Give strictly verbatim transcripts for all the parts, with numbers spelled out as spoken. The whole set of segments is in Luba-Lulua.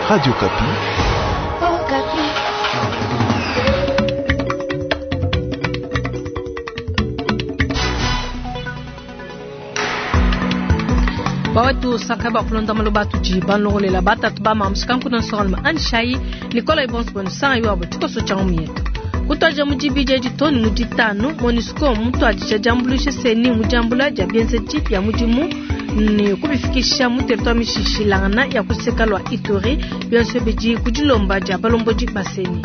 Radio Okapi. Okapi. Bawetu saka bakulonda maloba tudi banlogolela batatu ba mamusikanku na nsongaluma anishai Nicolas Ibonso bwenu sanga iwabo tshikoso tshia ngumu yetu kutwaja mu dibidi edi too ne mu ditanu MONUSCO mutuadija diambuluisha CENI mu diambula dia bienzedi bia mudimu ne kubifikisha mu territoire mishishilangana ya kuseka lua Ituri bionso bidi ku dilomba dia balombodi ba CENI.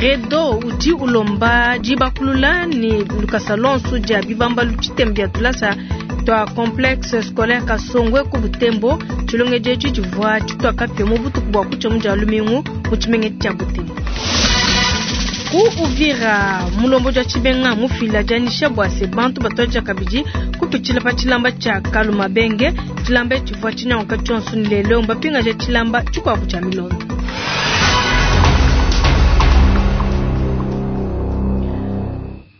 Redo udi ulomba dibakulula ne lukasa lonso dia bibambalu tshitembu bia tulasa twa complexe scolaire Kasongwe ku Butembo. Tshilongedi etshi tshivua tshituakapia mu butuku bua kutshia mu dia lumingu mu tshimenga tshia Butembo. Ku Uvira mulombodi wa tshimenga mufila dianyisha bua se bantu batuadija kabidi kupitshila pa tshilamba tshia Kalumabenge. Tshilamba tshivua tshinyanguka tshionso ne lelo mbapingaja tshilamba tshikuabu tshia milonda.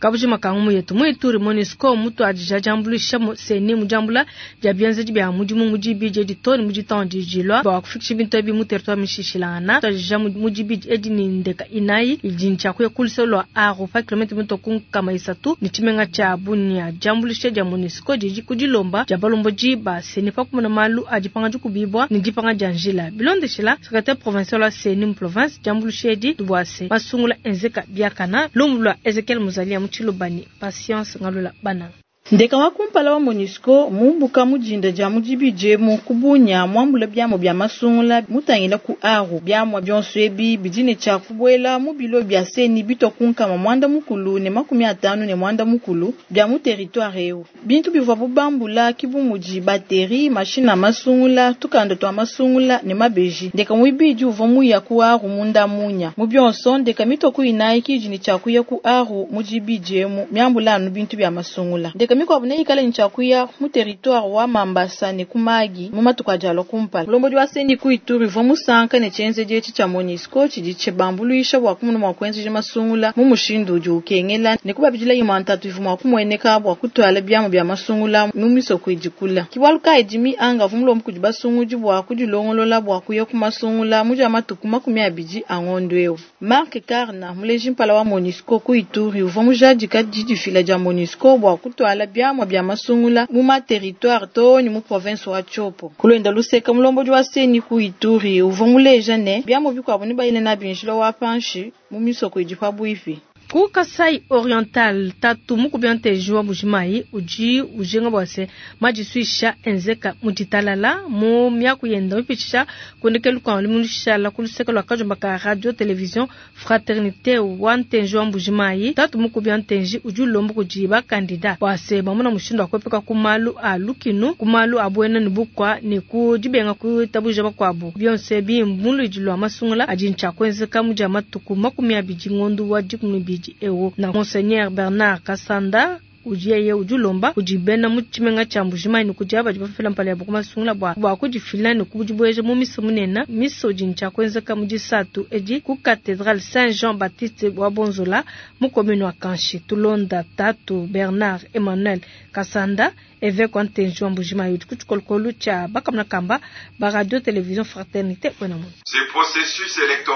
Kabujima ka ngumu yetu mu Ituri MONUSCO mutuadija diambuluisha mu CENI mu diambula dia bienzedi bia mudimu mu dibidi edi too ne mu ditanu dijilua bua kufikisha bintu ebi mu territoire mishishilangana. Tuadija mu dibidi edi ne ndeka inayi idi ntshia kuya ku luseke lua Aru pa kilomètre mito ku nkama isatu ne tshimenga tshia Bunia. Diambuluisha dia MONUSCO didi ku dilomba dia balombodi ba CENI pa kumona malu a dipanga dikubibua ne dipanga dia njila. Bilondeshila secrétaire provincial wa CENI mu province diambuluisha edi bua se masungula enzeka biakana lumu lua Ezekiel Muzalia mu Tshilobani Patience Ngalula Bananga. Ndeka wa kumpala wa MONUSCO mumbuka mudinda dia mudibidi mu kubunya mwambula biamua bia masungula mutangila ku Aru. Biamua bionso ebi bidi ne tshia kubuela mu bilo bia CENI bitwa ku nkama mwanda mukulu ne makumi atanu ne mwanda mukulu bia mu territoire eu. Bintu bivua bubambula ki bu mudi bateri, mashina masungula, tukanda twa masungula ne mabeji. Ndeka muibidi uvua muya ku Aru munda munya. Mu bionso ndeka mitwa ku inayi kidi ne tshia kuya ku Aru mudibidi emu miambula anu bintu bia masungula. Ndeka mikuabu neikale ne tshia kuya mu territoire wa Mambasa ne ku Magi mu matuku adi alua kumpala. Mulombodi wa CENI ku Ituri uvua musanka ne tshienzedi etshi tshia MONUSCO tshidi tshibambuluisha bua kumona mua kuenzeja masungula mu mushindu udi ukengela ne kubabidila imue ntatu ivua mua kumueneka bua kutuala biamu bia masungula mu misoko idi kula. Ki bualu kayi Jimmy Anga uvua mulombe kudi basungudi bua kudilongolola bua kuya ku masungula mu dia matuku makumi abidi a ngondo eu. Mark Karna muleji mpala wa MONUSCO ku Ituri uvua mujadika didifila dia MONUSCO bua kutuala biamua bia masungula mu ma territoire too ne mu province wa Tshopo. Kulwenda luseka mulombodi wa CENI ku Ituri uvua muleja ne biamua bikuabu ne bayile nabi njila wa panshi mu misoko idi pabuipi. Ku Kasai Oriental tatu mukubi nteji wa Mbujimayi udi ujinga bua se madisuisha enzeka mu ditalala mu miaku yenda mipitshisha kundekelu kua lumushala ku luseke lua kajumba ka radio télévision Fraternité wa nteji wa Mbujimayi. Tatu mukubi nteji udi ulomba kudi bakandida bua se bamona mushindu wa kuepuka ku malu a lukinu, ku malu a buena ne bukua ne ku dibenga kuitabuja bakuabu. Bionso ebi muludi lua masungula adi ntshia kuenzeka mu dia matuku makumi abidi ngondo wa dikumi ne ibidi ewu. Na Monseigneur Bernard Kasanda udi yeye udi ulomba kudi bena mu tshimenga tshia Mbujimayi ne kudi aba badi bafila mpala yabo ku masungula bua, bua kudifila ne kudibueja mu misa munene. Misa udi ntshia kuenzeka mu disatu edi ku Cathédrale Saint-Jean Baptiste wa Bonzola mu commune wa Kanshi. Tulonda tatu Bernard Emmanuel Kasanda évêque wa Ntenji wa Mbujimayi udi ku tshikolokolo tshia bakamuna kamba ba radio télévision Fraternité wena muntu.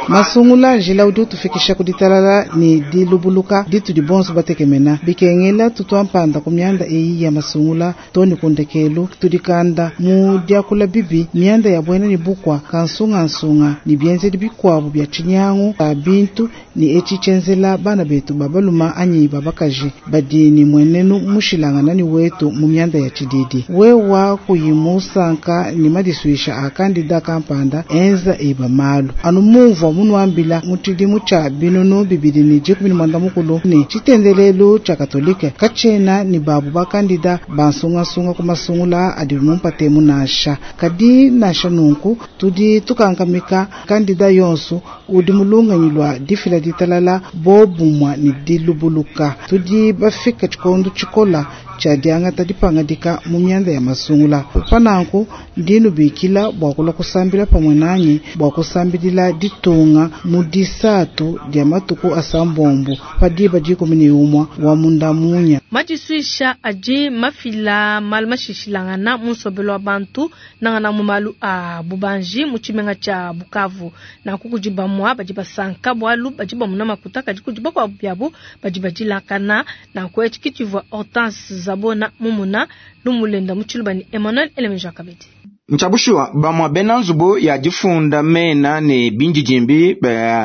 Masungula njila udi utufikisha ku ditalala ne dilubuluka ditu dibonso batekemena bikengela tutwampanda ku mianda eyi ya masungula too ne ku ndekelu tudikanda mu diakula bibi mianda ya buena ne bukua kansungansunga ne bienzedi bikuabu bia tshinyangu ba bintu ne etshi tshienzela bana betu babaluma anyi babakaji badi ne mwenenu mushilangana ne wetu mu mianda ya tshididi. Wewa kuyimusanka ne madisuisha a kandida kampanda enza eba malu anu mumvua munuambila mu tshidimu tshia binunu bibidi ne dikumi ne muanda mukulu ne tshitendelelu tshia katolike katshena ne babu bakandida bansungasunga ku masungula adi mumpate munasha. Kadi nasha nunku tudi tukankamika kandida yonso udi mulunganyi lwa difila ditalala bobumwa ne dilubuluka. Tudi bafika tshikondo tshikola tshia diangata dipangadika mu mianda ya masungula. Pananku ndi nubikila bua kulua kusambila pamue nanyi bua kusambidila ditunga mu disatu dia matuku asambombo pa diba dikumi ne umue wa munda munya. Madisuisha adi mafila malu mashishilangana mu nsombelu wa bantu nangana mu malu a bubanji mu tshimenga tshia Bukavu. Nanku kudi bamue badi basanka bualu badi bamuna makuta, kadi kudi bakuabu biabu badi badilakana. Nanku etshi kitshivua Hortense Zabona mumuna lumulenda mu tshiluba ni Emmanuel Elemeja kabidi. Nchabushuwa bamwa bena nzubu ya difunda mena ne bindidimbi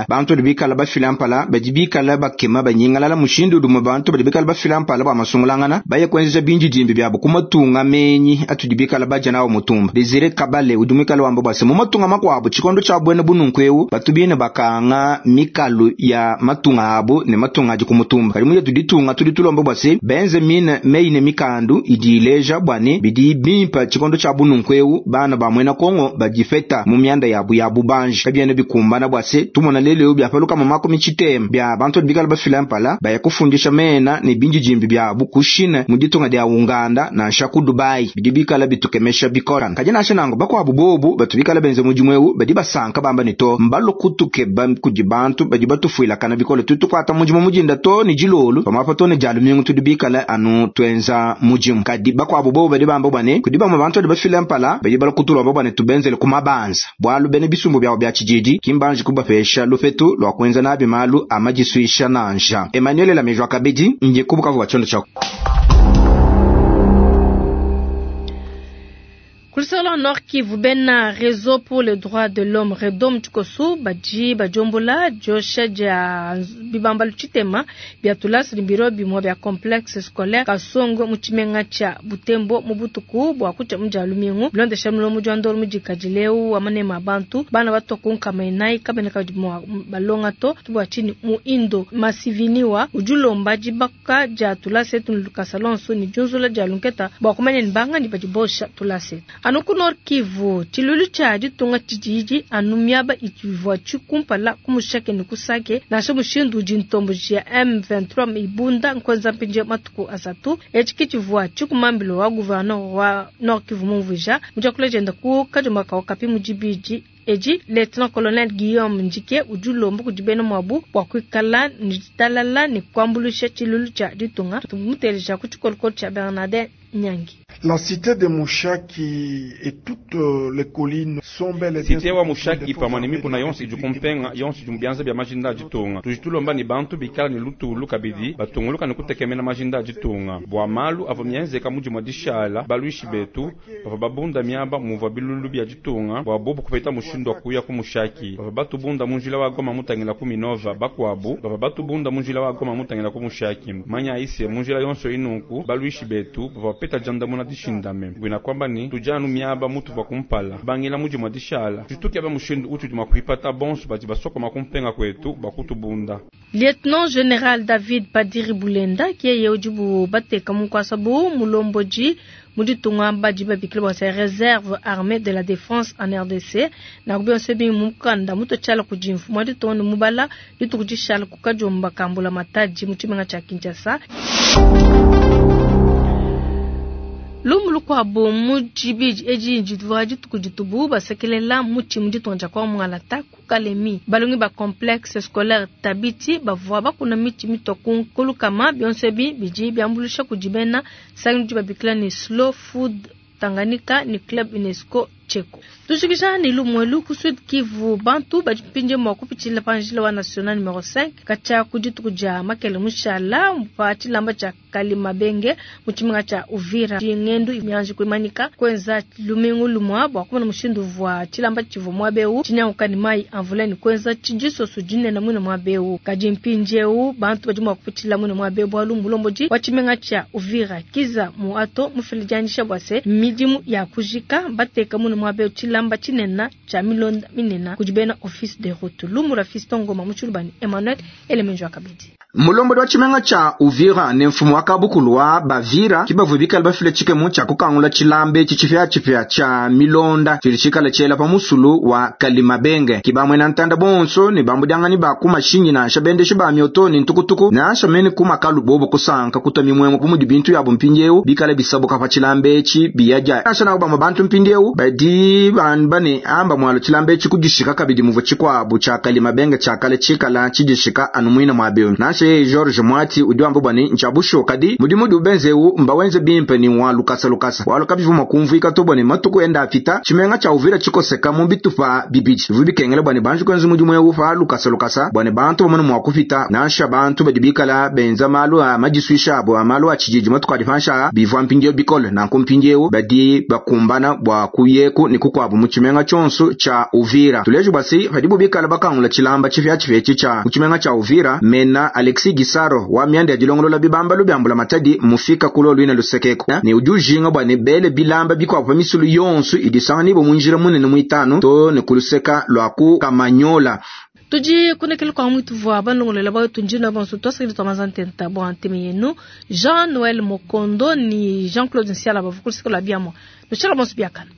bantu badi bikala bafila mpala badi bikala bakema banyingalala mushindu udi bantu badi bikala bafila mpala bua masungulangana baye kuenzeja bindidimbi byabo kumatunga menyi atudi bikala baja nawo mutumba. Desire Kabale udi mwikala wamba bwase mu matunga makuabu tshikondo tshia bwene bununku eu batubine bakanga mikalu ya matunga abu ne matunga adi kumutumba. Kadi muye tuditunga tudi tulomba bwase benze mine meine mikandu idi ileja bwane bidi bimpa tshikondo tshia bununku eu bana ba mwena Kongo badifeta mu mianda yabu ya bubanji kabiene bikumbana bwase tumona lelo byapaluka mu makumi chitema bya bantu bikala bafila mpala baya kufundisha mena ne bindidimbi byabu kushina mu ditunga dia Uganda na nsha ku Dubai bidi bikala bitukemesha bikora. Kadi nansha nango bakwabu bobu batu bikala benze mudimu eu badi basanka bamba ne to mbalokutuke ba kudi bantu badi batufuila kana bikole tutukwata mudimu mujinda to ni jilolu pamapa to ne jalumingu tudi bikala anu twenza mudimu. Kadi bakwabu bobu badi bamba bwane kudi bamwe bantu badi bafila mpala badi balokutulwa babane tubenzele kumabanza bwalu bene bisumbu byawo bya chijiji kimbanji kubapesha lupetu lwa kwenza nabi malu amajiswisha nanja. Emmanuel Lamejwa Kabedi nje kubukavu wa chondo cha Kulisolo Nord Kivu bena réseau pour les droits de l'homme Redom Tshikosu baji bajombola josha ja bibamba luchitema bya tulasi ni biro bimwe bya complexe scolaire Kasongo mu tshimenga tsha Butembo mu butuku bwa kucha mja lumingu bilondesha mulomo jwa ndolo mujikajileu wa manema bantu bana batokunka mainai kabene ka balonga to tubwa chini mu indo masiviniwa ujulomba jibaka ja tulasi tunu kasalonso ni junzula ja lunketa bwa kumanya ni banga ni bajibosha tulasi. Anuku Nord Kivu tshilulu tshia ditunga tshijiji anu miaba itshivua tshikumpala kumushake ni kusake nansha mushindu udi ntombo jia M vingt-trois ibunda nkwenza mpinje matuku asatu etshi kitshivua tshikumambilo wa gouverneur wa Nord Kivu mumvuija mujakula jenda ku kajuma ka okapi mujibiji eji Lieutenant Colonel Guillaume Njike ujulomba kudibena mwabu bwa kuikala ni ditalala ni kuambulusha tshilulu tshia ditunga tumuteleja ku tshikolokolo tshia Bernardin Nyangi. La cité de Mushaki et toutes les collines sont bel et bien. Cité wa Mushaki pamwe mikuna yonse ijukumpenga yonse jumbianza bya majinda jitunga. Tujitulomba ni bantu bikala ni lutulu kabidi batunguluka ni kutekemena majinda jitunga. Bwa malu avo mienzeka muji mwa dishala baluishi betu bava babunda miaba muva bilulu bya jitunga bwa bobu kupeta mushindu kuya ku Mushaki. Bava batubunda munjila wa Goma mutangila ku Minova bakwabu bava batubunda munjila wa Goma mutangila ku Mushaki. Manya ise munjila yonso inuku baluishi betu bava peta jandamuna dishindame gwina kwamba ni tujanu miaba mutu va kumpala bangila muji mwa dishala tutuke ba mushindu utu juma kuipata bonso badi basokoma kumpenga kwetu bakutubunda. Lieutenant Général David Padiri Bulenda kiye ujibu bateka mukwasabu mulomboji muditunga badi babikila bwa réserve armée de la défense en R D C na kubionse bi mukanda muto chala kujimfu mwaditunga ni mubala litukujishala kukajomba kambula mataji muchimenga cha Kinshasa. Lumulu kwa bo mujibiji eji njidwa jituku basekelela muchi muditunga kwa mwalata kukalemi balongi ba complexe scolaire Tabiti bavua bakuna michi mitoku kulukama bionse bi biji byambulusha kujibena sangi babikila ni slow food Tanganyika ni club UNESCO Cheko. Tushikisha ni lumwelu ku Sud Kivu bantu bajipinje mwa kupichila panjila wa national numero cinq kacha kujitukuja makele mushala mpa chilamba cha Kalimabenge muchiminga cha Uvira ngendu imianji kuimanika kwenza lumingu lumwa bwa kumana mushindu vwa chilamba chivu mwabeu chinyanguka ni mai amvula ni kwenza chijiso sujine na mwina mwabeu kajimpinjeu bantu bajimwa kupichila mwina mwabeu bwa lumbulomboji wa chiminga cha Uvira kiza muato mufilijanisha bwase midimu ya kujika bateka mwina mwabeu chilamba chinena cha milonda minena kujibena office de route lumura fiston ngoma muchulubani Emmanuel Elemenjo akabidi. Mulombodi wa tshimenga tshia Uvira ne mfumu wa kabukulu wa Bavira kibavua bikale bafile tshikemu tshia kukangula tshilamba etshi tshipiatshipia tshia milonda tshidi tshikale tshiela pa musulu wa Kalimabenge. Kibamwena ntanda bonso ne bambudianganyi ba ku mashinyi nansha bendeshi ba mioto ne ntukutuku nansha mene ku makalu bobo kusanka kutwa mimwemwe bu mudi bintu yabo mpindiewu bikale bisabuka pa tshilamba etshi biyadia. Nansha nako bamwe bantu mpindiewu badi bamba ne amba mwalo tshilamba etshi kudishika kabidi muvua tshikuabu tshia Kalimabenge tshia kale tshikala tshidishika anu muina muabio. Nansha yeye George Mwati udi wamba bua ne ntshia bushuwa kadi mudimu udi ubenzeu mbawenze bimpe ni wa lukasa lukasa walo kabivu mua kumvuika to bua ne matuku enda apita tshimenga tshia Uvira tshikoseka mu bitupa bibidi bivu bikengela bua ne banji kuenza mudimu eu pa lukasa lukasa bua ne bantu bamone mua kupita nansha bantu badi bikala benza malu a madisuisha abo a malu a tshididi matuku adi pansha bivua mpindieu bikole nanku mpindieu badi bakumbana bua kuyeku ne kukuabu mu tshimenga tshionso tshia Uvira. Tuleje bua si padibu bikala bakangula tshilamba tshipiatshipia etshi tshia mu tshimenga tshia Uvira mena Alexis Gisaro wa mianda ya dilongolola bibambalu bia mbula matadi mufika kulo luina lusekeko ne udi ujinga bua ne bele bilamba bikuabu pa misulu yonso idisanga mu njira munene muitanu to ne kuluseka lwa ku Kamanyola. Tudi kunekele kwa mwitu vwa banongolela ba tunjina bonso twasakili twa mazantenta bwa nteme yenu Jean Noël Mokondo ni Jean-Claude Nsiala bavukulisika la biamo. Nushela bonso biakana.